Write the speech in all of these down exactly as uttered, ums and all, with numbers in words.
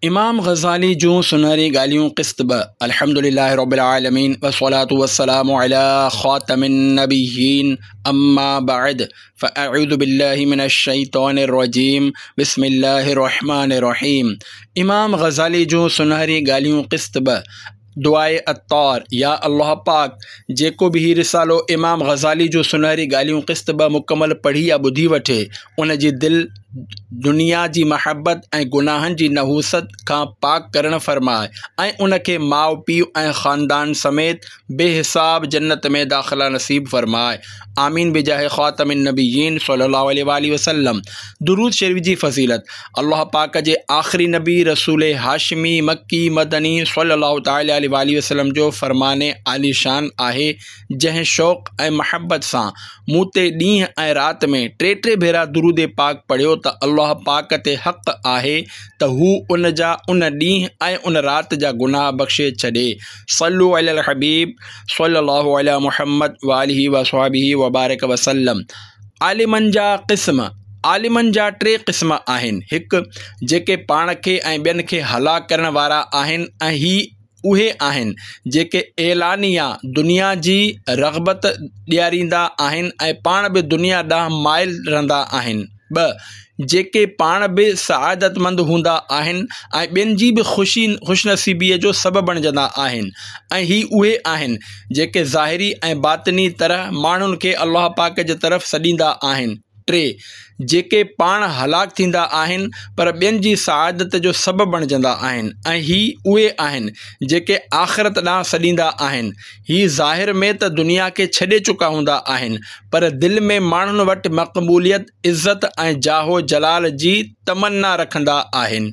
امام غزالي جون سنهري ڳالهيون قسط ٻه، الحمد لله رب العالمين والصلاة والسلام علي خاتم النبيين اما بعد فاعوذ بالله من الشيطان الرجيم بسم الله الرحمن الرحيم. امام غزالي جون سنهري ڳالهيون قسط ٻه، دعاء عطار. يا الله پاڪ، جيڪو به هي رسالو امام غزالي جون سنهري ڳالهيون قسط ٻه مڪمل پڙهي يا ٻڌي وٺي، ان جي دل دنيا جي محبت ۽ گناهن جي نحوست کان پاڪ ڪرڻ فرماء ۽ ان کي ماء پيء ۽ خاندان سميت بي حساب جنت ۾ داخلا نصيب فرماء. آمين بجاه خاتم النبيين صلي الله عليه واله وسلم. درود شريف جي فضيلت. الله پاڪ جي آخري نبي رسول هاشمي مڪي مدني صلي الله تعالٰي عليه واله وسلم جو فرمان عاليشان آهي، جنهن شوق ۽ محبت سان مون تي ڏينهن ۽ رات ۾ ٽي ٽي ڀيرا درود پاڪ پڙهيو ته الله پاڪ تي حق آهي ته هو ان جا ان ڏينهن ۽ ان رات جا گناهه بخشي ڇڏي. صلو علی الحبيب صلي الله علی محمد واله وصحبه وبارڪ وسلم. عالمن جا قسم. عالمن جا ٽي قسم آهن. هڪ، جيڪي پاڻ کي ۽ ٻين کي هلاڪ ڪرڻ وارا آهن ۽ هي اهي آهن جيڪي اعلانيه دنيا جي رغبت ڏياريندا آهن ۽ پاڻ به دنيا ڏانهن مائل رهندا آهن. ٻه، جيڪي پاڻ به سعادتمند هوندا آهن ۽ ٻين جي به خوشي خوشنصيبيء جو سبب بڻجندا آهن ۽ هي اهي آهن جيڪي ظاهري ۽ باطني طرح ماڻهن کي الله پاڪ جي طرف سڏيندا آهن. ٽي، جيڪي پاڻ هلاڪ ٿيندا آهن پر ٻين جي سعادت جو سبب بڻجندا آهن ۽ هي اهي آهن جيڪي آخرت ڏانهن سڏيندا آهن. هي ظاهر ۾ ته دنيا کي ڇڏي چڪا هوندا آهن پر دل ۾ ماڻهن وٽ مقبوليت، عزت ۽ جاه و جلال جي تمنا رکندا آهن.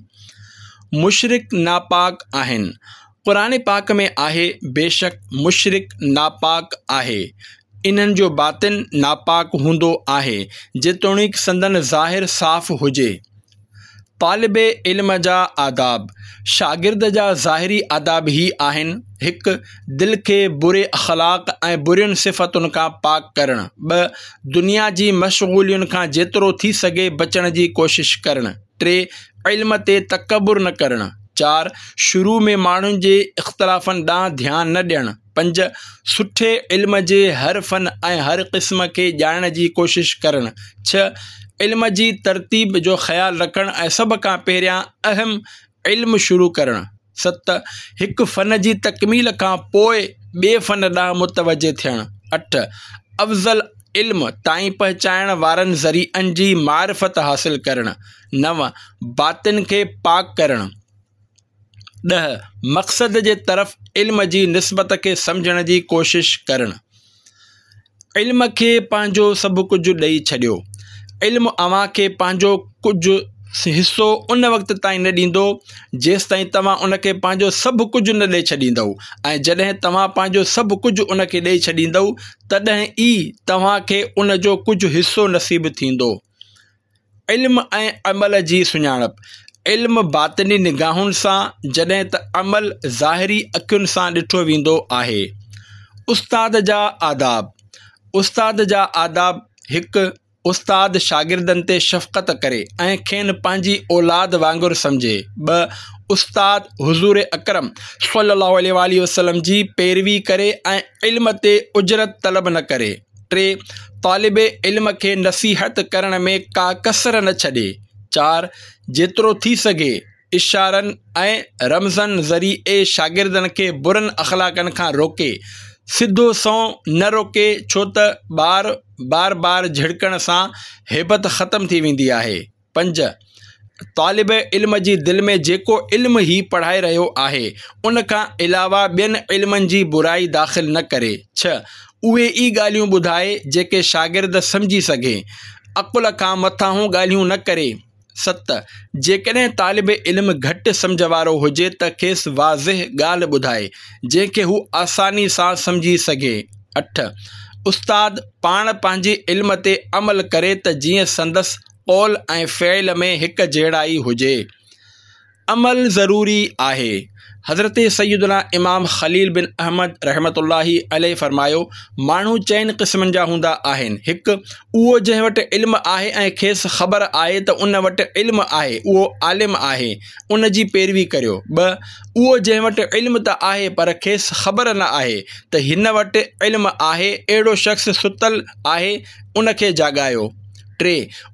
مشرڪ ناپاڪ آهن. قرآن پاڪ ۾ آهي، بيشڪ مشرڪ ناپاڪ آهي. انهن جو باطن ناپاڪ هوندو آهي، جيتوڻيڪ سندن ظاهر صاف هجي. طالب علم جا آداب. شاگرد جا ظاهري آداب هي آهن، هڪ، دل کي بري اخلاق ۽ برين صفتن کان پاڪ ڪرڻ. ٻه، دنيا جي مشغولين کان جيترو ٿي سگهي بچڻ جي ڪوشش ڪرڻ. ٽي، علم تي تڪبر نه ڪرڻ. چار، شروع ۾ ماڻهن جي اختلافن ڏانهن ڌيان نه ڏيڻ. پنج، سٺي علم جي هر فن ۽ هر قسم کي ڄاڻڻ جي ڪوشش ڪرڻ. ڇهه، علم جي ترتيب جو خيال رکڻ ۽ سڀ کان پهريان اهم علم شروع ڪرڻ. ست، هڪ فن جي تڪميل کان پوء ٻئي فن ڏانهن متوجه ٿيڻ. اٺ، افضل علم تائين پهچائڻ وارن ذريعن جي معرفت حاصل ڪرڻ. نو، باطن کي پاڪ ڪرڻ. ڏهه، مقصد جي طرف علم جي نسبت کي سمجهڻ جي ڪوشش ڪرڻ. علم کي پنهنجو سڀ ڪجهه ڏئي ڇڏيو. علم اوهان کي پنهنجو ڪجهه حصو ان وقت تائين نه ڏيندو جيستائين توهان ان کي پنهنجو سڀ ڪجهه نه ڏئي ڇڏيندؤ ۽ جڏهن توهان پنهنجو سڀ ڪجهه ان کي ڏئي ڇڏيندؤ تڏهن ئي توهان کي ان جو ڪجهه حصو نصيب ٿيندو. علم ۽ عمل جي سڃاڻپ. علم باطني نگاهن سان جڏهن ته عمل ظاهري اکين سان ڏٺو ويندو آهي. استاد جا آداب. استاد جا آداب. هڪ، استاد شاگردن تي شفقت ڪري ۽ کين پنهنجي اولاد وانگر سمجهي. ٻه، استاد حضور اڪرم صلي الله عليه واله وسلم جي پيروي ڪري ۽ علم تي اجرت طلب نه ڪري. ٽي، طالب علم کي نصيحت ڪرڻ ۾ ڪا ڪسر نه ڇڏي. چار، جيترو ٿي سگهي اشارن ۽ رمزن ذريعي شاگردن کي برن اخلاقن کان روڪي، سڌو سنئون نه روڪي ڇو ته ٻار بار بار جهڙڪڻ سان هيبت ختم ٿي ويندي آهي. پنج، طالب علم جي دل ۾ جيڪو علم هي پڙهائي رهيو آهي، ان کان علاوه ٻين علمن جي برائي داخل نه ڪري. ڇهه، اهي ئي ڳالهيون ٻڌائي جيڪي شاگرد سمجهي سگهي، عقل کان مٿانهون ڳالهيون نه ڪري. ست، جيڪڏهن طالب علم گهٽ سمجهه وارو هجي ته کيس واضح ڳالهه ٻڌائي، جنهن کي هو آساني سان سمجهي سگهي. اٺ، استاد پاڻ پنهنجي علم تي عمل ڪري ته جيئن سندس قول ۽ فعل ۾ هڪ جهڙائي هجي. عمل ضروري آهي. حضرت سيدنا امام خليل بن احمد رحمة الله عليه فرمايو، ماڻهو چئن قسمن جا هوندا آهن، هڪ، اهو جنهن وٽ علم آهي ۽ کيس خبر آهي ته ان وٽ علم آهي، اهو عالم آهي، ان جي پيروي ڪريو. ٻه، اهو جنهن وٽ علم ته آهي پر کيس خبر نه آهي ته هن وٽ علم آهي، اهڙو شخص ستل آهي، ان کي جاڳايو. ٽي،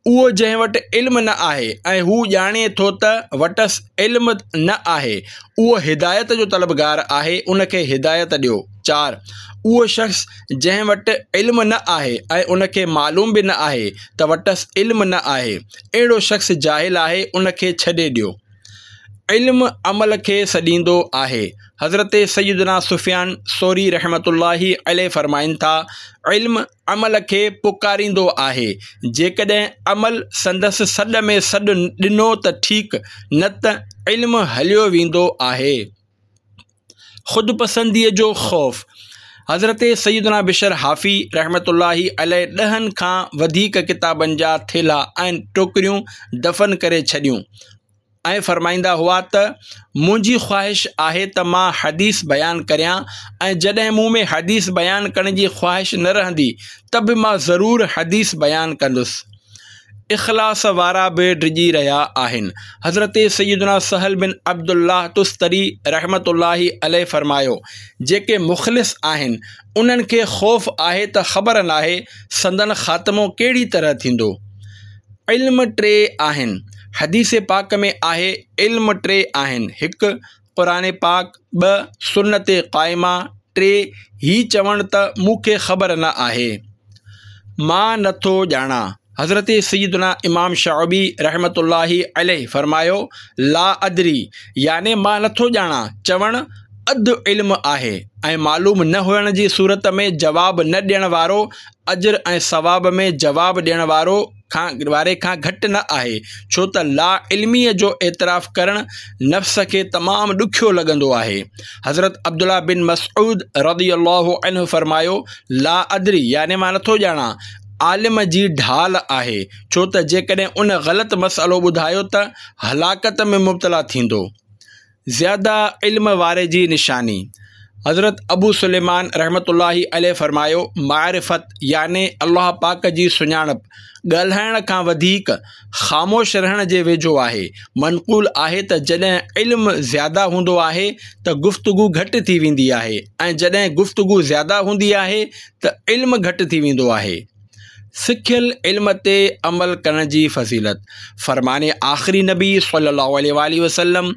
اهو جنهن وٽ علم نه آهي ۽ هو ڄاڻي ٿو ته وٽس علم نه آهي، اهو هدايت جو طلبگار آهي، ان کي هدايت ڏيو. چار، اهو شخص جنهن وٽ علم نه آهي ۽ ان کي معلوم به نه آهي ته وٽس علم نه آهي، اهڙو شخص جاهل آهي، ان کي ڇڏي ڏيو. علم عمل کي سڏيندو آهي. حضرت سيدنا سفيان ثوري رحمة الله عليه فرمائن ٿا، علم عمل کي پڪاريندو آهي، جيڪڏهن عمل سندس سڏ ۾ سڏ ڏنو ته ٺيڪ، نه ته علم هليو ويندو آهي. خود پسنديء جو خوف. حضرت سيدنا بشر حافي رحمة الله عليه ڏهن کان وڌيڪ ڪتابن جا ٿيلها ۽ ٽوڪريون دفن ڪري ڇڏيون ۽ فرمائيندا هئا ته منهنجي خواهش آهي ته مان حديث بيان ڪريان ۽ جڏهن مون ۾ حديث بيان ڪرڻ جي خواهش نه رهندي ته به مان ضرور حديث بيان ڪندس. اخلاص وارا به ڊڄي رهيا آهن. حضرت سيدنا سهل بن عبدالله تستري رحمة الله عليه فرمايو، جيڪي مخلص آهن انهن کي خوف آهي ته خبر ناهي سندن خاتمو ڪهڙي طرح ٿيندو. علم ٽي آهن. حديث پاڪ ۾ آهي، علم ٽي آهن، هڪ، قرآن پاڪ، ٻه، سنت قائمه، ٽي، هي چوڻ ته مون کي خبر نه آهي، مان نه ٿو ڄاڻان. حضرت سيدنا امام شعبي رحمة الله عليه فرمايو، لا ادري يعني مان نه ٿو ڄاڻان چوڻ اڌ علم آهي ۽ معلوم نه هئڻ جي صورت ۾ جواب نه ڏيڻ وارو اجر ۽ ثواب ۾ جواب ڏيڻ وارو کان واري کان گهٽ نه آهي، ڇو ته لا علميء جو اعتراف ڪرڻ نفس کي تمام ڏکيو لڳندو آهي. حضرت عبدالله بن مسعود رضي الله عنه فرمايو، لا ادري يعني مان نٿو ڄاڻان عالم جي ڍال آهي، ڇو ته جيڪڏهن ان غلط مسئلو ٻڌايو ته هلاڪت ۾ مبتلا ٿيندو. زياده علم واري جي نشاني. حضرت ابو سليمان رحمة الله عليه فرمايو، معرفت يعني الله پاڪ جي سڃاڻپ ڳالهائڻ کان وڌيڪ خاموش رهڻ جي ويجهو آهي. منقول آهي ته جڏهن علم زياده هوندو آهي ته گفتگو گهٽ ٿي ويندي آهي ۽ جڏهن گفتگو زياده هوندي آهي ته علم گهٽ ٿي ويندو آهي. سکيل علم تي عمل ڪرڻ جي فضيلت. فرمان آخري نبي صلي الله عليه واٰله وسلم،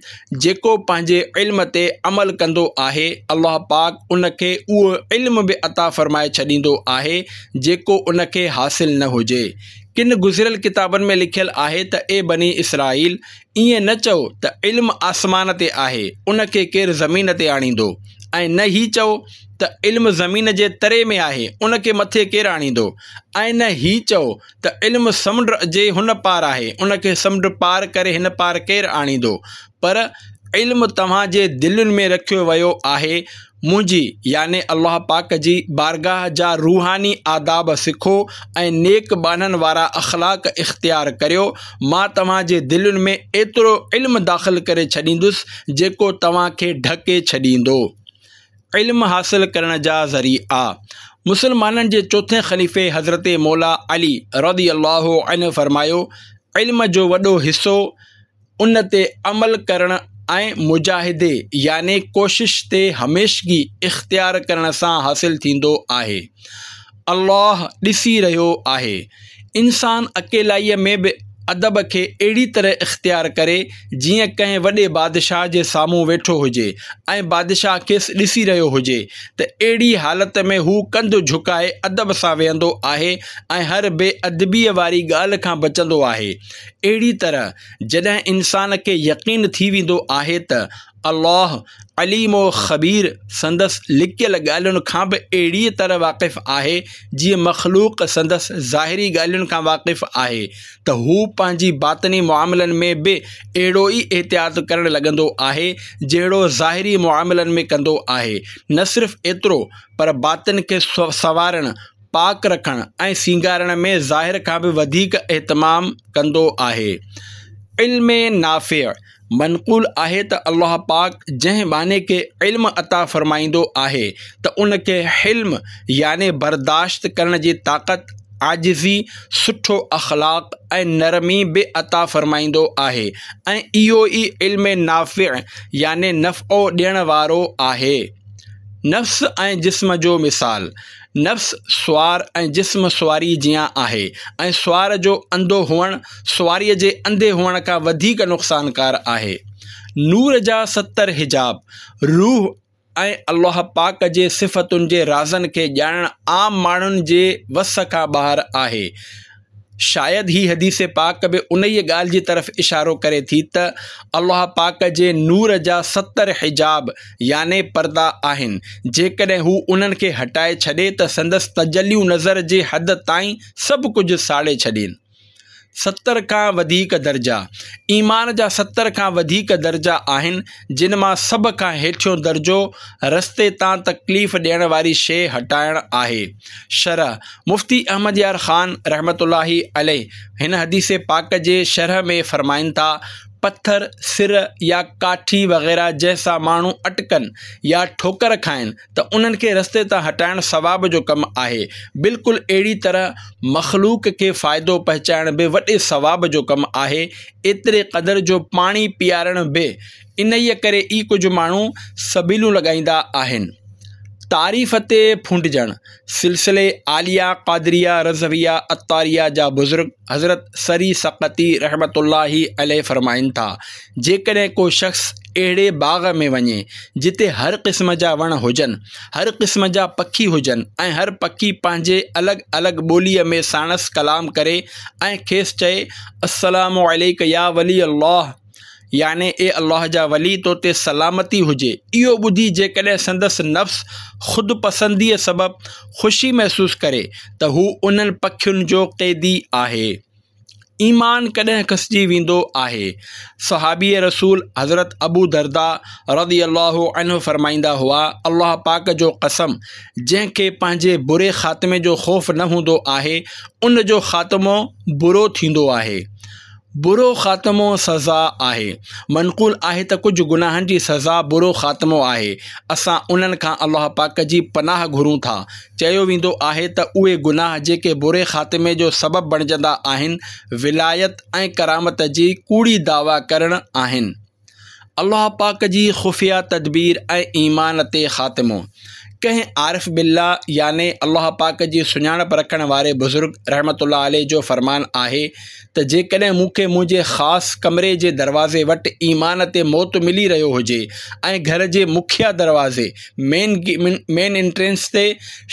جيڪو پنهنجي علم تي عمل ڪندو آهي الله پاڪ ان کي اهو علم به عطا فرمائي ڇڏيندو آهي جيڪو ان کي حاصل نه هجي. ڪن گذريل ڪتابن ۾ لکيل آهي ته اي بني اسرائيل! ائين نه چئو ته علم آسمان تي آهي ان کي ڪير زمين تي آڻيندو ۽ نه هي چئو ته علم زمين جي تري ۾ آهي ان کي مٿي ڪير آڻيندو ۽ نه هي چئو ته علم سمنڊ جي هن پار آهي ان کي سمنڊ پار ڪري هن پار ڪير آڻيندو پر علم توهان جي دلين ۾ رکيو ويو آهي منهنجي يعني الله پاڪ جي بارگاهه جا روحاني آداب سکو ۽ نيڪ ٻانهن وارا اخلاق اختيار ڪريو مان توهان جي دلين ۾ ايترو علم داخل ڪري ڇڏيندس جيڪو توهان کي ڍڪي ڇڏيندو. علم حاصل ڪرڻ جا ذريعا. مسلمانن جي چوٿين خليفي حضرت مولا علي رضي الله عنه فرمايو، علم جو وڏو حصو ان تي عمل ڪرڻ ۽ مجاهدي يعني ڪوشش تي هميشگي اختيار ڪرڻ سان حاصل ٿيندو آهي. الله ڏسي رهيو آهي. انسان اڪيلائيء ۾ به ادب کي اهڙي طرح اختيار ڪري جيئن ڪنهن وڏي بادشاهه جي سامهون ويٺو هجي ۽ بادشاهه کيس ڏسي رهيو هجي ته اهڙي حالت ۾ هو ڪنڌ جهڪائي ادب سان ويهندو آهي ۽ هر بي ادبيء واري ڳالهه کان بچندو آهي. اهڙي طرح جڏهن انسان کي يقين ٿي ويندو آهي ته الله عليم و خبير سندس لڪيل ڳالهين کان به اهڙيء طرح واقف آهي جيئن مخلوق سندس ظاهري ڳالهين کان واقف آهي ته هو پنهنجي باطني معاملن ۾ به اهڙو ئي احتياط ڪرڻ لڳندو آهي جهڙو ظاهري معاملن ۾ ڪندو آهي نه صرف ايترو پر باطن کي سنوارڻ، پاڪ رکڻ ۽ سينگارڻ ۾ ظاهر کان به وڌيڪ اهتمام ڪندو آهي. علم نافع، منقول آهي ته الله پاڪ جنهن ٻانهي کي علم عطا فرمائيندو آهي ته ان کي حلم يعني برداشت ڪرڻ جي طاقت، عاجزي، سٺو اخلاق ۽ نرمي به عطا فرمائيندو آهي ۽ اهو ئي علم نافع يعني نفعو ڏيڻ وارو آهي. نفس ۽ جسم جو مثال، نفس سوار ۽ جسم سواري جيان آهي ۽ سوار جو انڌو هئڻ سواريء جي انڌي هئڻ کان وڌيڪ نقصانڪار آهي. نور جا ستر حجاب، روح ۽ الله پاڪ جي صفتن جي رازن کي ڄاڻڻ عام ماڻهن جي وس کان ٻاهر آهي. شايد هي حديث پاڪ به انهيء ڳالهه جي طرف اشارو ڪري ٿي ته الله پاڪ جي نور جا ستر حجاب يعني پردا آهن، جيڪڏهن هو انهن کي هٽائي ڇڏي ته سندس تجليون نظر جي حد تائين سڀ ڪجهه ساڙي ڇڏين. ستر کان وڌيڪ درجا، ايمان جا ستر کان وڌيڪ درجا آهن، جن مان سڀ کان هيٺيون درجو رستي تان تڪليف ڏيڻ واري شيء هٽائڻ آهي. شرح، مفتي احمد يار خان رحمة الله عليه هن حديث پاڪ جي شرح ۾ فرمائن ٿا، پٿر، سر يا ڪاٺي وغيره جنهن سان ماڻهو اٽڪن يا ٺوڪر کائن ته انهن کي رستي تان هٽائڻ ثواب جو ڪم آهي. بلڪل اهڙي طرح مخلوق کي فائدو پهچائڻ به وڏي ثواب جو ڪم آهي، ايتري قدر جو پاڻي پيارڻ به. انهيء ڪري ئي ڪجهه ماڻهو سبيلون لڳائيندا آهن. تعريف تي ڦونڊجڻ، سلسلي عاليه قادريه رضويه عطاريه جا بزرگ حضرت سري سقطي رحمة الله عليه فرمائن ٿا، جيڪڏهن ڪو شخص اهڙي باغ ۾ وڃي جتي هر قسم جا وڻ هجن، هر قسم جا پکي هجن ۽ هر پکي پنهنجي الڳ الڳ ٻوليء ۾ ساڻس ڪلام ڪري ۽ کيس چئي السلام عليڪ يا ولي الله يعني اي الله جا ولي تو تي سلامتي هجي، اهو ٻڌي جيڪڏهن سندس نفس خود پسنديء سبب خوشي محسوس ڪري ته هو انهن پکين جو قيدي آهي. ايمان ڪڏهن کسجي ويندو آهي؟ صحابي رسول حضرت ابو درداء رضي الله عنه فرمائيندا هئا، الله پاڪ جو قسم جنهن کي پنهنجي بري خاتمي جو خوف نه هوندو آهي ان جو خاتمو برو ٿيندو آهي. برو خاتمو سزا آهي. منقول آهي ته ڪجهه گناهن جي سزا برو خاتمو آهي، اسان انهن کان الله پاڪ جي پناهه گهرون ٿا. چيو ويندو آهي ته اهي گناهه جيڪي بري خاتمي جو سبب بڻجندا آهن، ولايت ۽ ڪرامت جي ڪوڙي دعويٰ ڪرڻ آهن. الله پاڪ جي خفيه تدبير ۽ ايمان تي خاتمو. ڪنهن عارف بالله يعني الله پاڪ جي سڃاڻپ رکڻ واري بزرگ رحمة الله عليه جو فرمان آهي ته جيڪڏهن مون کي منهنجي خاص ڪمري جي دروازي وٽ ايمان تي موت ملي رهيو هجي ۽ گهر جي مکيه دروازي، Main Entrance، تي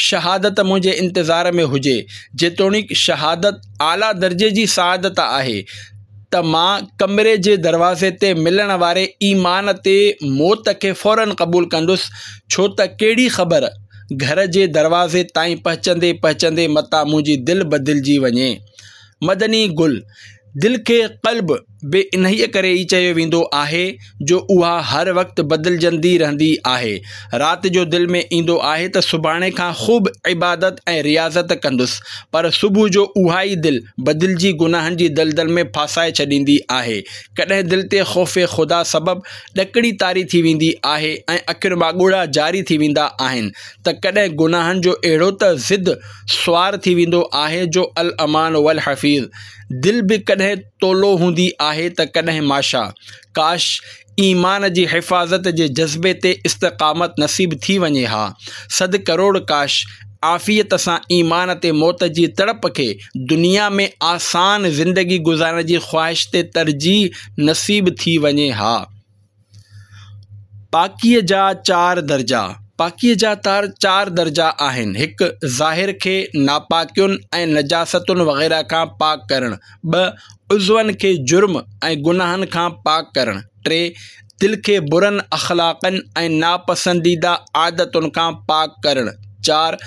شهادت منهنجي انتظار ۾ هجي، جيتوڻيڪ شهادت اعليٰ درجي جي سعادت آهي، ته مان ڪمري جي دروازي تي ملڻ واري ايمان تي موت کي فوراً قبول ڪندس، ڇو ته ڪهڙي خبر گهر جي دروازي تائين پهچندي پهچندي متان منهنجي دل بدلجي وڃي. مدني گل، دل کي قلب به انهيء ڪري ئي چيو ويندو آهي جو اها هر وقت بدلجندي رهندي آهي. رات جو دل ۾ ايندو آهي ته سڀاڻي کان خوب عبادت ۽ رياضت ڪندس، پر صبح جو اها ئي دل بدلجي گناهن جي دلدل ۾ ڦاسائي ڇڏيندي آهي. ڪڏهن دل تي خوف خدا سبب ڏڪڻي طاري ٿي ويندي آهي ۽ اکين مان ڳوڙها جاري ٿي ويندا آهن ته ڪڏهن گناهن جو اهڙو ته ضد سوار ٿي ويندو آهي جو الامان والحفيظ دل به ڪڏهن تولو هوندي آهي ته ڪڏهن ماشا. ڪاش! ايمان جي حفاظت جي جذبي تي استقامت نصيب ٿي وڃي ها. صد ڪروڙ ڪاش! عافيت سان ايمان تي موت جي تڙپ کي دنيا ۾ آسان زندگي گذارڻ جي خواهش تي ترجيح نصيب ٿي وڃي ها. پاڪيء جا چار درجا، پاڪيء جا چار درجا آهن، هڪ. ظاهر کي ناپاڪين ۽ نجاستن وغيره کان پاڪ ڪرڻ. ٻه. عضون کي جرم ۽ گناهن کان پاڪ ڪرڻ. ٽي. دل کي برن اخلاقن ۽ ناپسنديده عادتن کان پاڪ ڪرڻ. چار.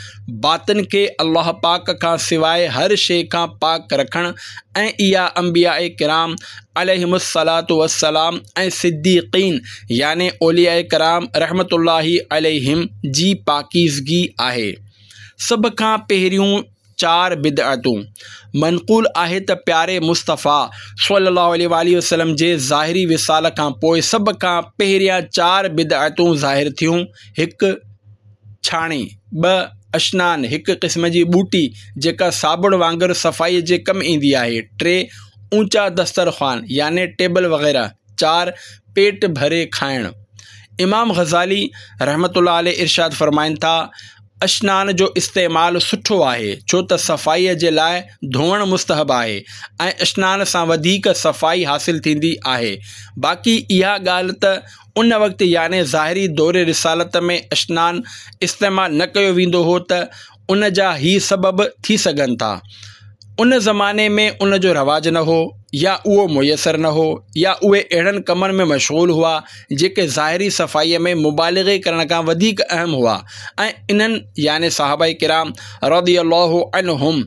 باطن کي الله پاڪ کان سواء هر شيء کان پاڪ رکڻ ۽ اها انبياء ڪرام عليهم الصلوة والسلام ۽ صديقين يعني اولياء ڪرام رحمة الله عليهم جي پاڪيزگي آهي. سڀ کان پهريون چار بدعتون. منقول آهي ته پياري مصطفيٰ صلي الله عليه وآله وسلم جي ظاهري وصال کان پوء سڀ کان پهريان چار بدعتون ظاهر ٿيون. هڪ، ڇاڻي. ٻه، اشنان، هڪ قسم جي ٻوٽي جيڪا صابڻ وانگر صفائي جي ڪم ايندي آهي. ٽي، اوچا دسترخوان يعني ٽيبل وغيره. چار، پيٽ ڀري کائڻ. امام غزالي رحمة الله عليه ارشاد فرمائن ٿا، اشنان جو استعمال سٺو آهي، ڇو ته صفائيء جي لاء ڌوئڻ مستحب آهي ۽ اشنان سان وڌيڪ صفائي حاصل ٿيندي آهي. باقي اها ڳالهه ته ان وقت يعني ظاهري دور رسالت ۾ اشنان استعمال نه ڪيو ويندو هو ته ان جا هي سبب ٿي سگهن ٿا. ان زماني ۾ ان جو رواج نه هو يا اهو ميسر نه هو يا اهي اهڙن ڪمن ۾ مشغول هئا جيڪي ظاهري صفائيء ۾ مبالغي ڪرڻ کان وڌيڪ اهم هئا ۽ انهن يعني صحابه ڪرام رضي الله عنهم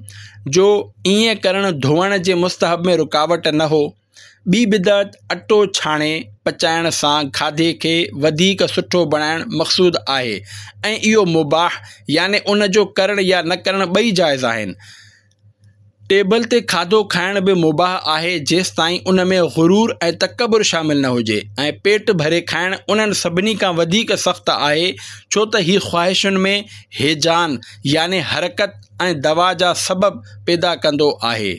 جو ائين ڪرڻ ڌوئڻ جي مستحب ۾ رڪاوٽ نه هو. ٻي بدعت اٽو ڇاڻي پچائڻ سان کاڌي کي وڌيڪ سٺو بڻائڻ مقصود آهي ۽ اهو مباح يعني ان جو ڪرڻ يا نه ڪرڻ ٻئي جائز آهن. ٽيبل تي کاڌو کائڻ به مباح آهي جيستائين ان ۾ غرور ۽ تڪبر شامل نه هجي ۽ پيٽ ڀري کائڻ انهن سڀني کان وڌيڪ سخت آهي ڇو ته هي خواهشن ۾ هيجان يعني حرڪت ۽ دوا جا سبب پيدا ڪندو آهي.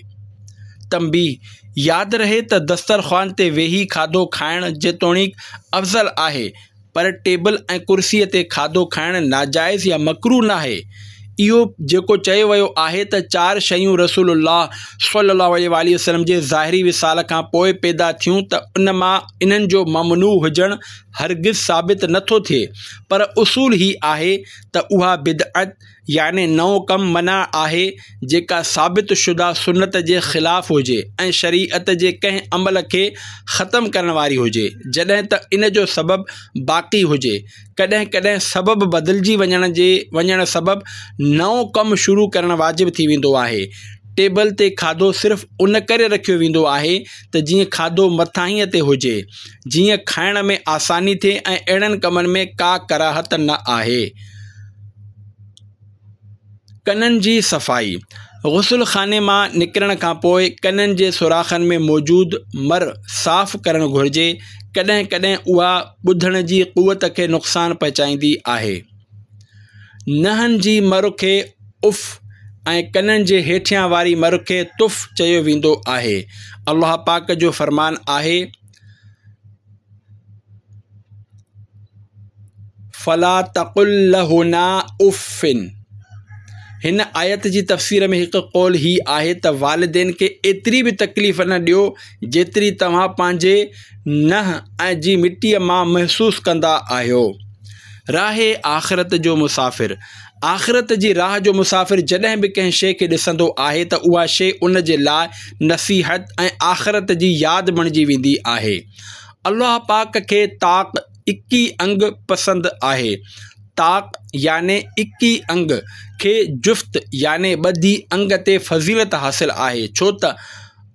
تنبيهه، ياد رهي ته دسترخوان تي ويهي کاڌو کائڻ جيتوڻيڪ افضل آهي پر ٽيبل ۽ ڪرسيء تي کاڌو کائڻ ناجائز يا مڪروه ناهي. اهو جيڪو چيو ويو آهي ته چار شيون رسول الله صلي الله عليه واٰله وسلم جي ظاهري وصال کان پوء پيدا ٿيون ته ان مان انهن جو ممنوع هجڻ هرگز ثابت نه ٿو ٿئي پر اصول هي آهي ته اها بدعت يعني نئون ڪم منع آهي جيڪا ثابت شده سنت جي خلاف هجي ۽ شريعت جي ڪنهن عمل کي ختم ڪرڻ واري هجي جڏهن ته ان جو سبب باقي هجي. ڪڏهن ڪڏهن سبب بدلجي وڃڻ جي وڃڻ سبب نئون ڪم شروع ڪرڻ واجب ٿي ويندو آهي. ٽيبل تي کاڌو صرف ان ڪري رکيو ويندو آهي ته جيئن کاڌو مٿاهينء تي هجي جيئن کائڻ ۾ آساني ٿئي ۽ اهڙن ڪمن ۾ ڪا ڪراهت نه آهي. ڪنن جي صفائي، غسل خاني مان نڪرڻ کان پوء ڪنن جي سوراخن ۾ موجود مر صاف ڪرڻ گهرجي، ڪڏهن ڪڏهن اها ٻڌڻ جي قوت کي نقصان پهچائيندي آهي. ننهن جي مر کي اف ۽ ڪنن جي هيٺيان واري مر کي تف چيو ويندو آهي. الله پاڪ جو فرمان آهي. فلا تقل لهنا اف هن آيت جي تفسير ۾ هڪ قول هي آهي ته والدين کي ايتري به تڪليف نه ڏيو جيتري توهان پنهنجي ننهن جي مٽيء مان محسوس ڪندا آهيو. راهه آخرت جو مسافر آخرت جي راهه جو مسافر جڏهن به ڪنهن شيء کي ڏسندو آهي ته اها شيء ان جي لاء نصيحت ۽ آخرت جي ياد بڻجي ويندي آهي. الله پاڪ کي طاق اڪي انگ پسند آهي. طاق يعني اڪي انگ کي جفت يعني ٻڌي انگ تي فضيلت حاصل آهي ڇو ته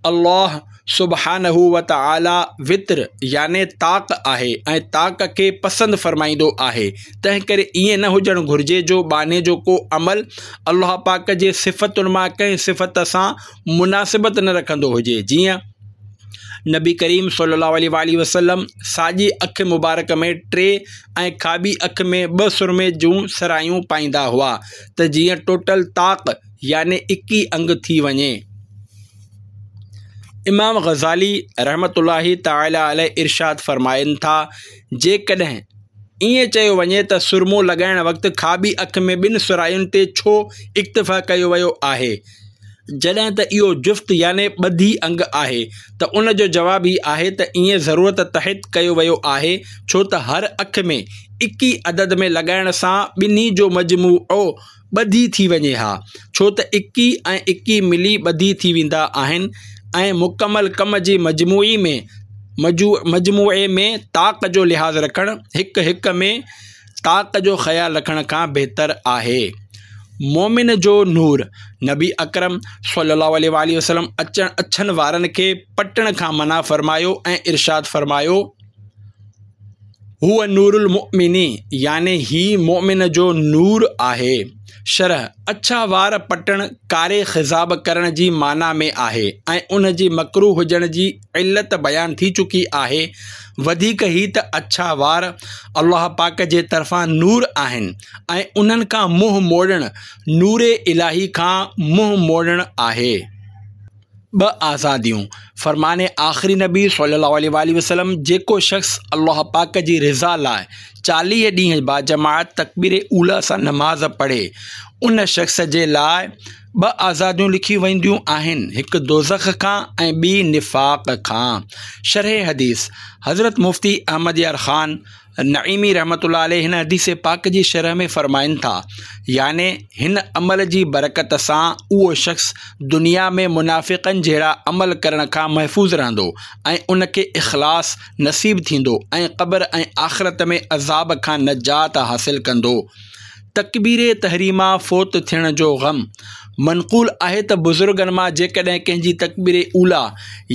الله سبحانه وتعاليٰ وتر يعني طاق آهي ۽ طاق کي پسند فرمائيندو آهي تنهنڪري ائين نه هجڻ گهرجي جو ٻانهي جو ڪو عمل الله پاڪ جي صفتن مان ڪنهن صفت سان مناسبت نه رکندو هجي جيئن نبي ڪريم صلي الله عليه واٰله وسلم ساڄي اک مبارڪ ۾ ٽي ۽ کاٻي اک ۾ ٻه سرمي جون سرايون پائيندا هئا ته جيئن ٽوٽل طاق يعني اڪي انگ ٿي وڃي. امام غزالي رحمة الله تعالٰي عليه ارشاد فرمائن ٿا، جيڪڏهن ائين چيو وڃي ته سرمو لڳائڻ وقت کاٻي اک ۾ ٻن سراين تي ڇو اڪتفا ڪيو ويو آهي، جڏهن ته اهو جفت يعني ٻڌي انگ آهي ته ان جو جواب هي آهي ته ائين ضرورت تحت ڪيو ويو آهي ڇو ته هر اک ۾ اڪي عدد ۾ لڳائڻ سان ٻنهي جو مجموعو ٻڌي ٿي وڃي ها ڇو ته اڪي ۽ اڪي ملي ٻڌي ٿي ويندا آهن ۽ مڪمل ڪم جي مجموعي ۾ مجموعي ۾ طاق جو لحاظ رکڻ هڪ هڪ ۾ طاق جو خيال رکڻ کان بهتر آهي. مومن جو نور، نبي اڪرم صلي الله عليه واٰله وسلم اچڻ اڇن وارن کي پٽڻ کان منع فرمايو ۽ ارشاد فرمايو. هو نور المؤمن يعني هي مؤمن جو نور آهي. شرح، اڇا وار پٽڻ ڪاري خضاب ڪرڻ جي معنيٰ ۾ آهي ۽ ان جي مڪروه هجڻ جي علت بيان ٿي چڪي آهي. وڌيڪ هي ته اڇا وار الله پاڪ جي طرفان نور آهن ۽ انهن کان منهن موڙڻ نور الاهي کان منهن موڙڻ آهي. ٻه آزاديون، فرمان آخري نبي صلي الله عليه واٰله وسلم جيڪو شخص الله پاڪ جي رضا لاء چاليهه ڏينهن باجماعت تڪبير اوليٰ سان نماز پڙهي ان شخص جي لاء ٻه آزاديون لکيون وينديون آهن، هڪ دوزخ کان ۽ ٻي نفاق کان. شرح حديث، حضرت مفتي احمد يار خان نعيمي رحمة الله عليه هن حديث پاڪ جي شرح ۾ فرمائن ٿا، يعني هن عمل جي برڪت سان اهو شخص دنيا ۾ منافقن جهڙا عمل ڪرڻ کان محفوظ رهندو ۽ ان کي اخلاص نصيب ٿيندو ۽ قبر ۽ آخرت ۾ عذاب کان نجات حاصل ڪندو. تڪبير تحريمه فوت ٿيڻ جو غم، منقول آهي ته بزرگن مان جيڪڏهن ڪنهن جي تڪبير اوليٰ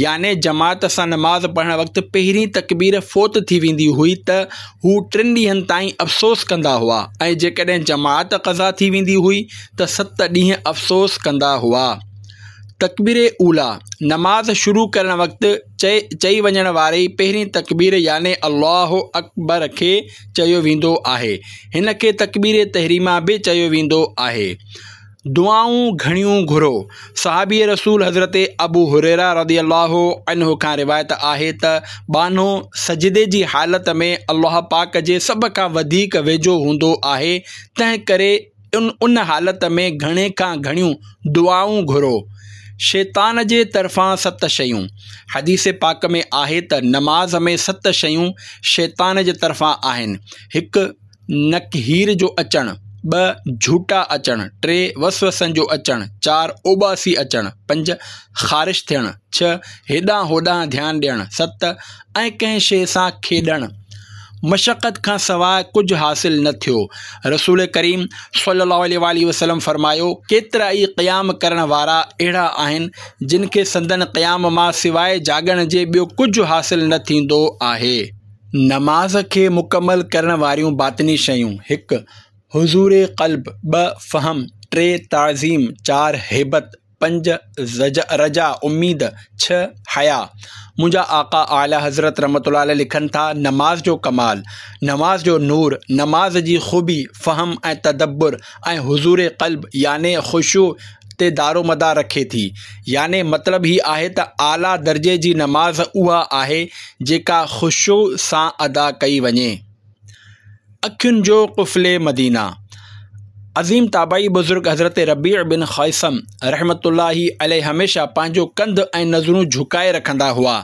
يعني جماعت سان نماز پڙهڻ وقت پهرين تڪبير فوت ٿي ويندي هئي ته هو ٽن ڏينهن تائين افسوس ڪندا هئا ۽ جيڪڏهن جماعت قضا ٿي ويندي هئي ته ست ڏينهن افسوس ڪندا هئا. تڪبير اوليٰ، نماز شروع ڪرڻ وقت چئي وڃڻ واري پهرين تڪبير يعني الله اڪبر کي چيو ويندو آهي. هن کي تڪبير تحريمه به چيو ويندو آهي. دعائون گهڻيون گهرو. صحابي رسول حضرت ابو هريره رضي الله عنه کان روايت آهي ته ٻانهو سجدي جي حالت ۾ الله پاڪ جي سڀ کان وڌيڪ ويجهو هوندو آهي، تنهن ڪري ان ان حالت ۾ گهڻي کان گهڻيون دعائون گهرو. شيطان جي طرفان ست شيون، حديث پاڪ ۾ آهي ته نماز ۾ ست شيون شيطان جي طرفان آهن، هڪ نڪهير جو اچڻ، ٻه جهوٽا اچڻ، ٽي وسوسن جو اچڻ، چار اوٻاسي اچڻ، پنج خارش ٿيڻ، ڇهه هيڏانهن هوڏانهن ڌيان ڏيڻ، ست ۽ ڪنهن شيء سان کيڏڻ. مشقت کان سواء ڪجهه حاصل نه ٿيو. رسول ڪريم صلي الله عليه واٰله وسلم فرمايو، ڪيترائي قيام ڪرڻ وارا اهڙا آهن جن کي سندن قيام مان سواء جاڳڻ جي ٻيو ڪجهه حاصل نه ٿيندو آهي. نماز کي مڪمل ڪرڻ واريون باطني شيون، هڪ. حضور قلب، ٻه. فهم، ٽي. تعظيم، چار. هيبت، پنج، رجا، اميد، ڇهه، حيا. منهنجا آقا اعليٰ حضرت رحمة الله عليه لکن ٿا، نماز جو ڪمال، نماز جو نور، نماز جي خوبي، فهم ۽ تدبر ۽ حضور قلب يعني خشوع تي دارومدار رکي ٿي. يعني مطلب هي آهي ته اعليٰ درجي جي نماز اها آهي جيڪا خشوع سان ادا ڪئي وڃي. اکين جو قفل مدينه، عظيم تابعي بزرگ حضرت ربيع بن خيثم رحمة الله عليه هميشه پنهنجو ڪنڌ ۽ نظرون جهڪائي رکندا هئا،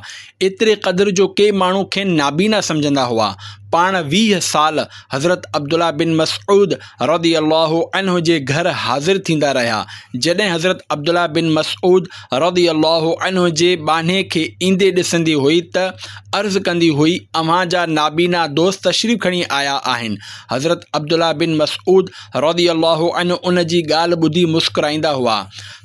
ايتري قدر جو ڪي ماڻهو کين نابينا سمجهندا هئا. پاڻ ويهه سال حضرت عبدالله بن مسعود رضي الله عنه جي گهر حاضر ٿيندا رهيا. جڏهن حضرت عبدالله بن مسعود رضي الله عنه جي ٻانهي کي ايندي ڏسندي هئي ته عرض ڪندي هئي، اوهان جا نابينا دوست تشريف کڻي آيا آهن. حضرت عبدالله بن مسعود رضي الله عنه ان جي ڳالهه ٻڌي مسڪرائيندا هئا.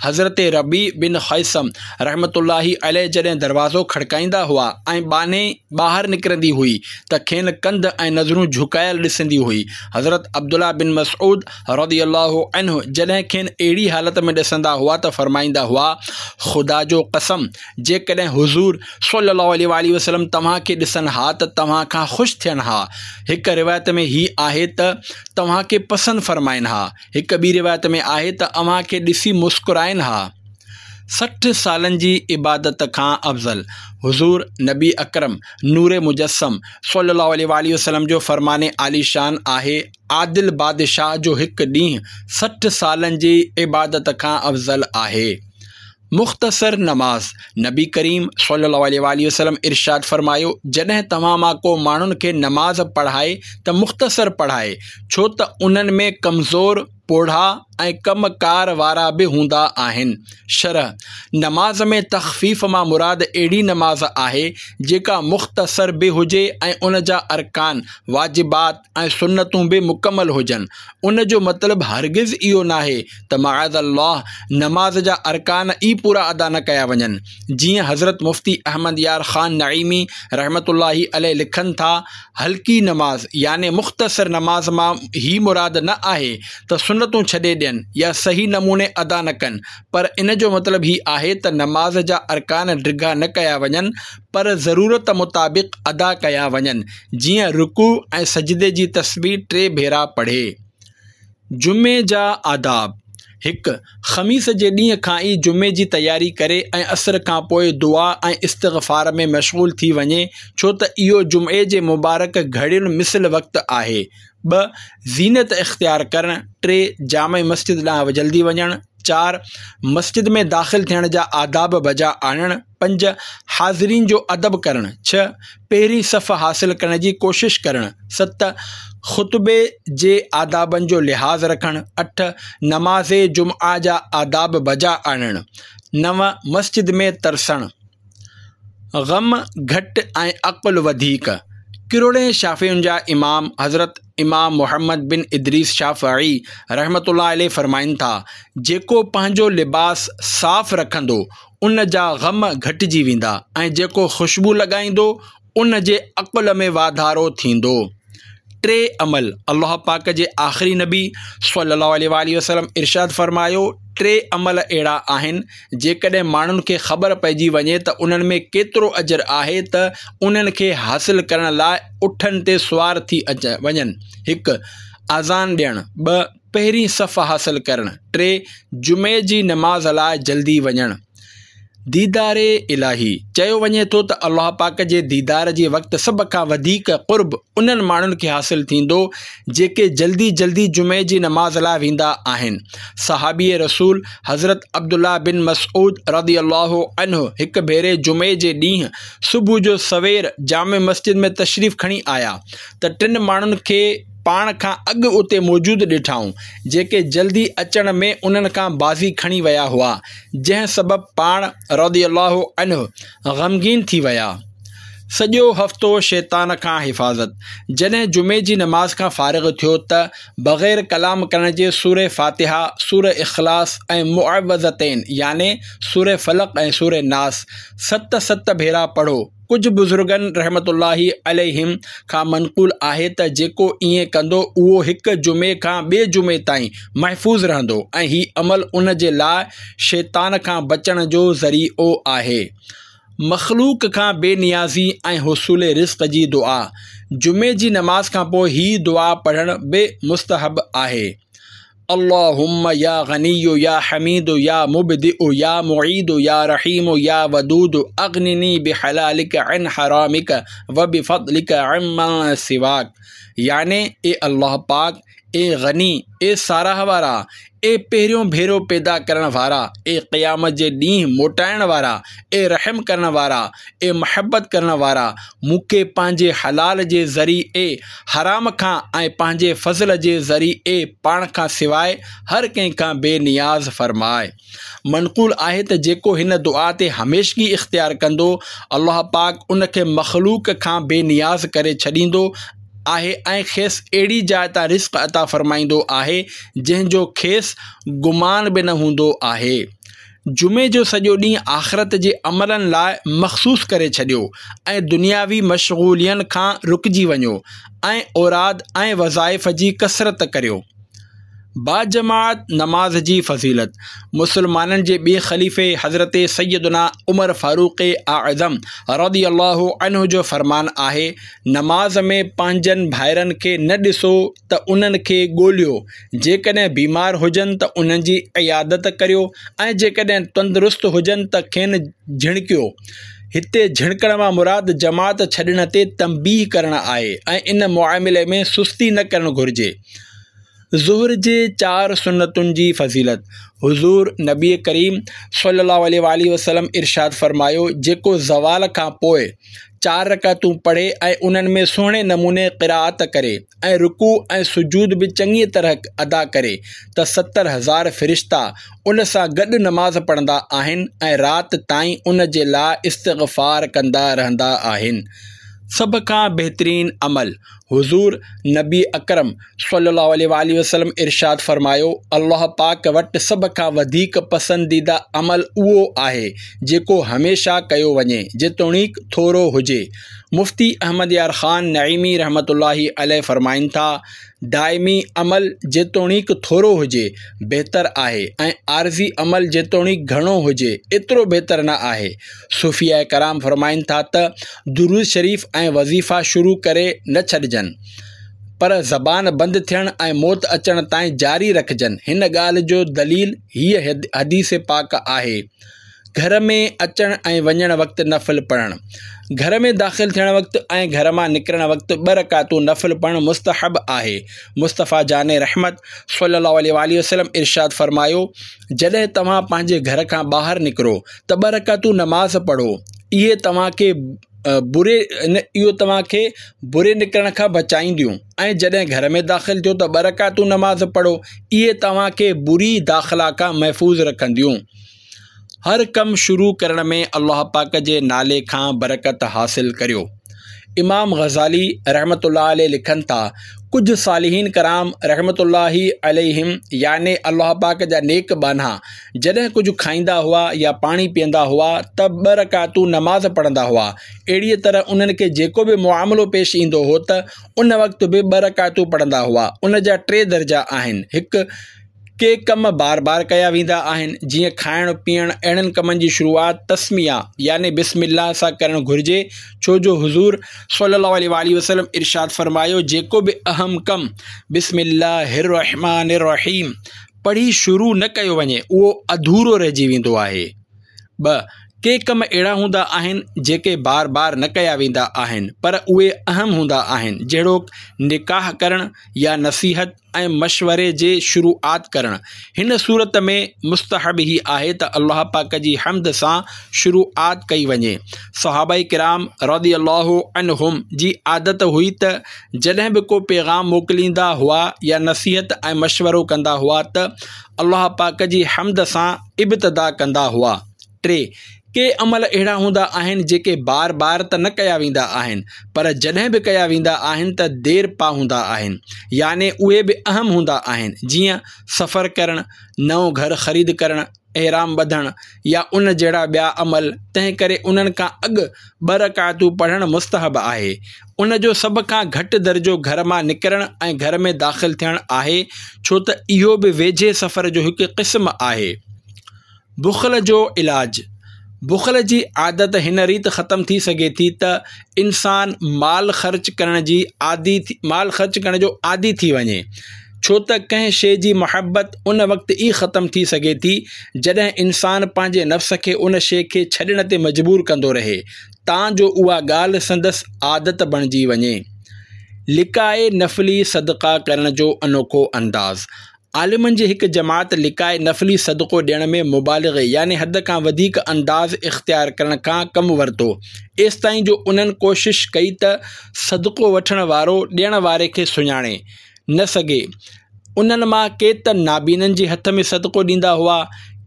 حضرت ربيع بن خيثم رحمة الله عليه جڏهن دروازو کڙڪائيندا هئا ۽ ٻانهي ٻاهر نڪرندي هئي ته کين ڪنڌ ۽ نظرون جهڪايل ڏسندي هئي. حضرت عبدالله بن مسعود رضي الله عنه جڏهن کين اهڙي حالت ۾ ڏسندا هئا ته فرمائيندا هئا، خدا جو قسم! جيڪڏهن حضور صلّي الله عليه واٰله وسلّم توهان کي ڏسن ها ته توهان کان خوش ٿين ها. هڪ روايت ۾ هي آهي ته توهان کي پسند فرمائن ها. هڪ ٻي روايت ۾ آهي ته اوهان کي ڏسي مسڪرائن ها. سٺ سالن جي عبادت کان افضل حضور نبي اڪرم نور مجسم صلّي الله عليه واٰله وسلّم جو فرمان عاليشان آهي، عادل بادشاهه جو هڪ ڏينهن سٺ سالن جي عبادت کان افضل آهي. مختصر نماز، نبي ڪريم صلي الله عليه واٰله وسلم ارشاد فرمايو، جڏهن توهان مان ڪو ماڻهن کي نماز پڙهائي ته مختصر پڙهائي، ڇو ته انهن ۾ ڪمزور، پوڙها ۽ ڪم ڪار وارا به هوندا آهن. شرح، نماز ۾ تخفيف مان مراد اهڙي نماز آهي، جيڪا مختصر به هجي ۽ ان جا ارڪان، واجبات ۽ سنتون به مڪمل هجن. ان جو مطلب هرگز اهو ناهي ته معاذ الله نماز جا ارڪان ئي پورا ادا نه ڪيا وڃن. جيئن حضرت مفتي احمد يار خان نعيمي رحمة الله عليه لکن ٿا، هلڪي نماز يعني مختصر نماز مان هي مراد نه آهي ته سنتون ڇڏي ڏين يا صحيح نموني ادا نه ڪن، پر ان جو مطلب هي آهي ته نماز جا ارڪان ڊگها نه ڪيا وڃن پر ضرورت مطابق ادا ڪيا وڃن، جيئن رڪوع ۽ سجدي جي تسبيح ٽي ڀيرا پڙهي. جمعي جا آداب، هڪ. خميس جي ڏينهن کان ئي جمعي جي تياري ڪري ۽ عصر کان پوء دعا ۽ استغفار ۾ مشغول ٿي وڃي، ڇو ته اهو جمعي جي مبارڪ گهڙين مثل وقت آهي. ٻه. زينت اختيار ڪرڻ. ٽي. جامع مسجد ڏانهن جلدي وڃڻ. چار. مسجد ۾ داخل ٿيڻ جا آداب بجا آڻڻ. پنج. حاضرين جو ادب ڪرڻ. ڇهه. پهرين صف حاصل ڪرڻ جي ڪوشش ڪرڻ. ست. خطبي جي آدابن جو لحاظ رکڻ. اٺ. نماز جمعه جا آداب بجا آڻڻ. نو. مسجد ۾ ترسڻ. غم گهٽ ۽ عقل وڌيڪ. ڪروڙين شافعين جا امام حضرت امام محمد بن ادريس شافعي رحمة الله عليه فرمائن ٿا، جيڪو پنهنجو لباس صاف رکندو ان جا غم گهٽجي ويندا ۽ جيڪو خوشبو لڳائيندو ان جي عقل ۾ واڌارو ٿيندو. ٽي عمل، الله پاڪ جي آخري نبي صلي الله عليه واٰله وسلم ارشاد فرمايو، ٽي عمل اهڙا آهن جيڪڏهن ماڻهن کي خبر پئجي وڃي ته انهن ۾ ڪيترو اجر آهي ته انهن کي حاصل ڪرڻ لاء اٺن تي سوار ٿي وڃن. هڪ. اذان ڏيڻ. ٻه. پهرين صف حاصل ڪرڻ. ٽي. جمعي جي نماز لاء جلدي وڃڻ. ديدار الاهي، چيو وڃي ٿو ته الله پاڪ جي ديدار جي وقت سڀ کان وڌيڪ قرب انهن ماڻهن کي حاصل ٿيندو جيڪي جلدي جلدي جمعي جي نماز لاء ويندا آهن. صحابي رسول حضرت عبدالله بن مسعود رضي الله عنه هڪ ڀيري جمعي جي ڏينهن صبح جو سوير جامع مسجد ۾ تشريف کڻي آيا ته ٽن ماڻهن کي پاڻ کان اڳ اتي موجود ڏٺائون، جيڪي جلدي اچڻ ۾ انهن کان بازي کڻي ويا هئا، جنهن سبب پاڻ رضي الله عنه غمگين ٿي ويا. سڄو هفتو شيطان کان حفاظت. جڏهن جمعي جي نماز کان فارغ ٿيو ته بغير ڪلام ڪرڻ جي سوره فاتحه، سوره اخلاص ۽ معوذتين يعني سوره فلق ۽ سوره ناس ست ست ڀيرا پڙهو. ڪجهه بزرگن رحمة الله عليهم کان منقول آهي ته جيڪو ائين ڪندو اهو هڪ جمعي کان ٻئي جمعي تائين محفوظ رهندو ۽ هي عمل ان جي لاء شيطان کان بچڻ جو ذريعو آهي. مخلوق کان بي نيازي ۽ حصول رزق جي دعا، جمعي جي نماز کان پوء هي دعا پڙهڻ به مستحب آهي. اللهم يا غني يا حميد يا مبدئ يا معيد يا رحيم يا ودود اغنني بحلالک عن حرامک وبفضلک عمن سواک يعني اي الله پاڪ، اي غني، اي ساراهه وارا، اي پهريون ڀيرو پيدا ڪرڻ وارا، اي قيامت جي ڏينهن موٽائڻ وارا، اي رحم ڪرڻ وارا، اي محبت ڪرڻ وارا، مون کي پنهنجي حلال جي ذريعي حرام کان ۽ پنهنجي فضل جي ذريعي پاڻ کان سواء هر ڪنهن کان بي نياز فرماء. منقول آهي ته جيڪو هن دعا تي هميشگي اختيار ڪندو، الله پاڪ ان کي مخلوق کان بي نياز ڪري ڇڏيندو آهي ۽ کيس اهڙي جاء تان رزق عطا فرمائيندو آهي، جنهن جو کيس گمان به نه هوندو آهي. جمعي جو سڄو ڏينهن آخرت جي عملن لاء مخصوص ڪري ڇڏيو ۽ دنياوي مشغولين کان رڪجي وڃو ۽ اوراد ۽ وظائف جي ڪثرت ڪريو. باجماعت نماز جي فضيلت، مسلمانن جي ٻئي خليفي حضرت سيدنا عمر فاروق اعظم رضي الله عنه جو فرمان آهي، نماز ۾ پنهنجن ڀائرن کي نه ڏسو ته انهن کي ڳوليو، جيڪڏهن بيمار هجن ته انهن جي عيادت ڪريو ۽ جيڪڏهن تندرست هجن ته کين جهڻڪيو. هتي جهڻڪڻ مان مراد جماعت ڇڏڻ تي تنبيهه ڪرڻ آهي ۽ ان معاملي ۾ سستي نه ڪرڻ گهرجي. ظهر جي چار سنتن جي فضيلت، حضور نبي ڪريم صلي الله عليه واٰله وسلم ارشاد فرمايو، جيڪو زوال کان پوء چار رڪعتون پڙهي ۽ انهن ۾ سهڻي نموني قرائت ڪري ۽ رڪوع ۽ سجود به چڱيء طرح ادا ڪري ته ستر هزار فرشتا ان سان گڏ نماز پڙهندا آهن ۽ رات تائين ان جي لاء استغفار ڪندا رهندا آهن. سڀ کان بهترين عمل، حضور نبي اڪرم صلي الله عليه واٰله وسلم ارشاد فرمايو، الله پاڪ وٽ سڀ کان وڌيڪ پسنديده عمل اهو آهي جيڪو هميشه ڪيو وڃي جيتوڻيڪ ٿورو هجي. مفتي احمد يار خان نعيمي رحمة الله عليه فرمائن ٿا، دائمي عمل جيتوڻيڪ ٿورو هجي بهتر آهي ۽ عارضي عمل جيتوڻيڪ گهڻو هجي ايترو بهتر نه آهي. صوفياء ڪرام فرمائن ٿا ته درود شريف ۽ وظيفا شروع ڪري نه ڇڏجن پر زبان بند ٿيڻ ۽ موت اچڻ تائين جاري رکجن. هن ڳالهه جو دليل هيء حديث پاڪ آهي. گهر ۾ اچڻ ۽ وڃڻ وقت نفل پڙهڻ. گهر ۾ داخل ٿيڻ وقت ۽ گهر مان نڪرڻ وقت ٻه رڪعتون نفل پڙهڻ مستحب آهي. مصطفيٰ جان رحمت صلي الله عليه واٰله وسلم ارشاد فرمايو، جڏهن توهان پنهنجي گهر کان ٻاهر نڪرو ته ٻه رڪعتون نماز پڙهو، اهي توهان کي بري اهو توهان کي بري نڪرڻ کان بچائينديون ۽ جڏهن گهر ۾ داخل ٿيو ته ٻه رڪعتون نماز پڙهو، اهي توهان کي بري داخلا کان محفوظ رکنديون. هر ڪم شروع ڪرڻ ۾ الله پاڪ جي نالي کان برڪت حاصل ڪريو. امام غزالي رحمة الله عليه لکن ٿا، ڪجهه صالحين ڪرام رحمة الله عليهم يعني الله پاڪ جا نيڪ ٻانها جڏهن ڪجهه کائيندا هئا يا پاڻي پيئندا هئا ته ٻه رڪعتون نماز پڙهندا هئا. اهڙيء طرح انهن کي جيڪو به معاملو پيش ايندو هو ته ان وقت به ٻه رڪعتون پڙهندا هئا. ان جا ٽي درجا آهن، هڪ. ڪي ڪم بار بار ڪيا ويندا آهن، جيئن کائڻ پيئڻ، اهڙن ڪمن جي شروعات تسميه يعني بسم الله سان ڪرڻ گهرجي، ڇو جو حضور صلي الله عليه واٰله وسلم ارشاد فرمايو، جيڪو به اهم ڪم بسم الله الرحمٰن الرحيم پڙهي شروع نه ڪيو وڃي اهو اڌورو رهجي ويندو آهي. ٻه، ڪي ڪم اهڙا هوندا آهن جيڪي بار بار نه ڪيا ويندا آهن پر اهي اهم هوندا آهن جهڙوڪ نڪاح ڪرڻ يا نصيحت ۽ مشوري جي شروعات ڪرڻ. هن صورت ۾ مستحب هي آهي ته الله پاڪ جي حمد سان شروعات ڪئي وڃي. صحابه ڪرام رضي الله عنهم جي عادت هئي ته جڏهن به ڪو پيغام موڪليندا هئا يا نصيحت ۽ مشورو ڪندا هئا ته الله پاڪ جي حمد سان ابتدا ڪندا هئا. ٽي، ڪي عمل اهڙا هوندا آهن جيڪي بار بار ته نه ڪيا ويندا آهن پر جڏهن به ڪيا ويندا آهن ته دير پا هوندا آهن يعني اهي به اهم هوندا آهن جيئن سفر ڪرڻ، نئون گهر خريد ڪرڻ، احرام ٻڌڻ يا ان جهڙا ٻيا عمل تنهنڪري انهن کان اڳ ٻه رڪعتون پڙهڻ مستحب آهي. ان جو سڀ کان گهٽ درجو گهر مان نڪرڻ ۽ گهر ۾ داخل ٿيڻ آهي ڇو ته اهو به ويجهي سفر جو هڪ قسم آهي. بخل جو علاج، بخل جي عادت هن ريت ختم ٿي سگهي ٿي ته انسان مال خرچ ڪرڻ جي عادي مال خرچ ڪرڻ جو عادي ٿي وڃي ڇو ته ڪنهن شيء جي محبت ان وقت ئي ختم ٿي سگهي ٿي جڏهن انسان پنهنجي نفس کي ان شيء کي ڇڏڻ تي مجبور ڪندو رهي تان جو اها ڳالهه سندس عادت بڻجي وڃي. لڪائي نفلي صدقا ڪرڻ جو انوکو انداز، عالمن جي هڪ جماعت لڪائي نفلي صدقو ڏيڻ ۾ مبالغي يعني حد کان وڌيڪ انداز اختيار ڪرڻ کان ڪم ورتو، ايستائين جو انهن ڪوشش ڪئي ته صدقو وٺڻ وارو ڏيڻ واري کي سڃاڻي نه سگهي. انهن مان ڪي ته نابينن جي هٿ ۾ صدقو ڏيندا هئا،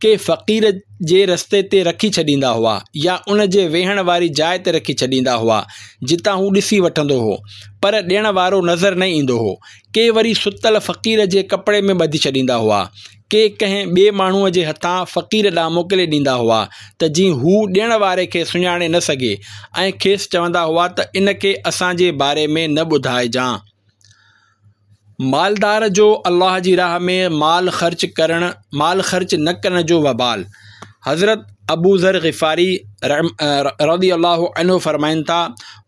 ڪي فقير جي رستي تي رکي ڇڏيندا هئا يا ان جي ويهڻ واري جاء تي رکي ڇڏيندا هئا، جتان هو ڏسي وٺندو هو، پر ڏيڻ وارو نظر نه ايندو هو. ڪي وري ستل فقير جي ڪپڙي ۾ ٻڌي ڇڏيندا هئا. ڪي ڪنهن ٻئي ماڻهوء جي هٿان فقير ڏانهن موڪلي ڏيندا هئا ته جيئن هو ڏيڻ واري کي سڃاڻي نه سگهي ۽ کيس چوندا هئا ته ان کي اسان جي باري ۾ نه ٻڌائجان. مالدار جو الله جي راهه ۾ مال خرچ ڪرڻ مال خرچ نه ڪرڻ جو وبال، حضرت ابوذر غفاري رضي الله عنه فرمائن ٿا،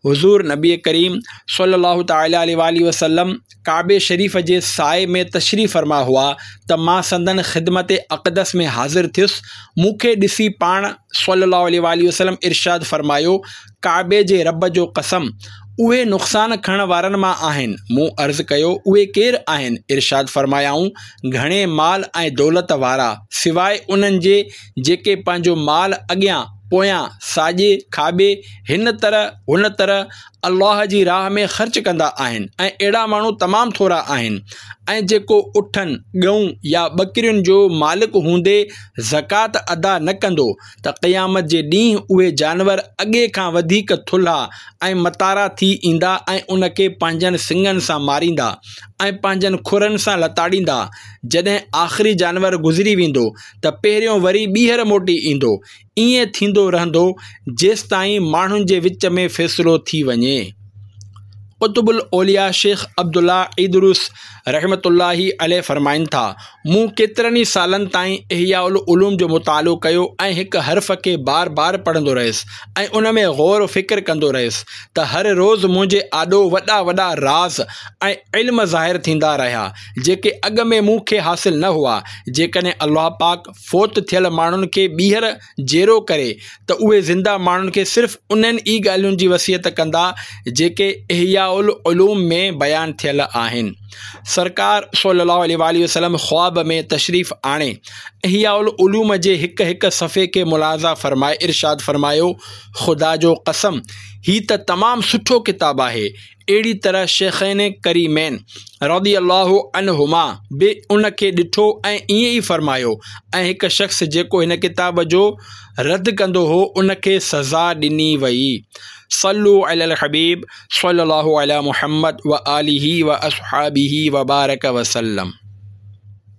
حضور نبي ڪريم صلي الله تعالٰي عليه واٰله وسلم ڪعبي شريف جي سائي ۾ تشريف فرما هئا ته مان سندن خدمت اقدس ۾ حاضر ٿيس، مون کي ڏسي پاڻ صلي الله عليه واٰله وسلم ارشاد فرمايو، ڪعبي جي رب جو قسم! اهي نقصان کڻڻ وارن مان آهن. مون عرض ڪيو، اهي ڪير آهن؟ ارشاد فرمايائون، گهڻي مال ۽ دولت وارا، سواء انهن جي جيڪي پنهنجو مال اڳيان پويان، ساڄي کاٻي، هن طرح هن طرح الله جي راهه ۾ خرچ ڪندا آهن ۽ اهڙا ماڻهو تمام ٿورا آهن. ۽ جيڪو اٺن، ڳئون يا ٻڪرين جو مالڪ هوندي زڪوات ادا نه ڪندو ته قيامت جي ڏينهن اهي جانور اڳي کان وڌيڪ ٿلها ۽ متارا ٿي ايندا ۽ ان کي پنهنجن سڱن سان ماريندا ۽ پنهنجن کرن سان لتاڙيندا. جڏهن آخري جانور گذري ويندو ته پهريون وري ٻيهر موٽي ايندو. ائين ٿيندو رهندو جيستائين ماڻهن جي وچ ۾ فيصلو ٿي وڃي. قطب الاولياء شيخ عبدالله عيدروس رحمة الله عليه فرمائن ٿا، مون ڪيترن ئي سالن تائين احياء العلوم جو مطالعو ڪيو ۽ هڪ حرف کي بار بار پڙهندو رهيس ۽ ان ۾ غور و فڪر ڪندو رهيس ته هر روز منهنجي آڏو وڏا وڏا راز ۽ علم ظاهر ٿيندا رهيا جيڪي اڳ ۾ مون کي حاصل نه هئا. جيڪڏهن الله پاڪ فوت ٿيل ماڻهن کي ٻيهر جيئرو ڪري ته اهي زنده ماڻهن کي صرف انهن ئي ڳالهين جي وصيت ڪندا جيڪي احياء العلوم ۾ بيان ٿيل آهن. سرڪار صلي الله عليه واٰله وسلم خواب ۾ تشريف آڻي احياء العلوم جي هڪ هڪ صفحي کي ملاحظه فرمائي ارشاد فرمايو، خدا جو قسم هي ته تمام سٺو ڪتاب آهي. اهڙي طرح شيخين ڪريمين رضي الله عنهما به ان کي ڏٺو ۽ ائين ئي فرمايو ۽ هڪ شخص جيڪو هن ڪتاب جو رد ڪندو هو ان کي سزا ڏني وئي. صلو علی الحبيب صلي الله علی محمد وآله واصحابه وبارڪ وسلم.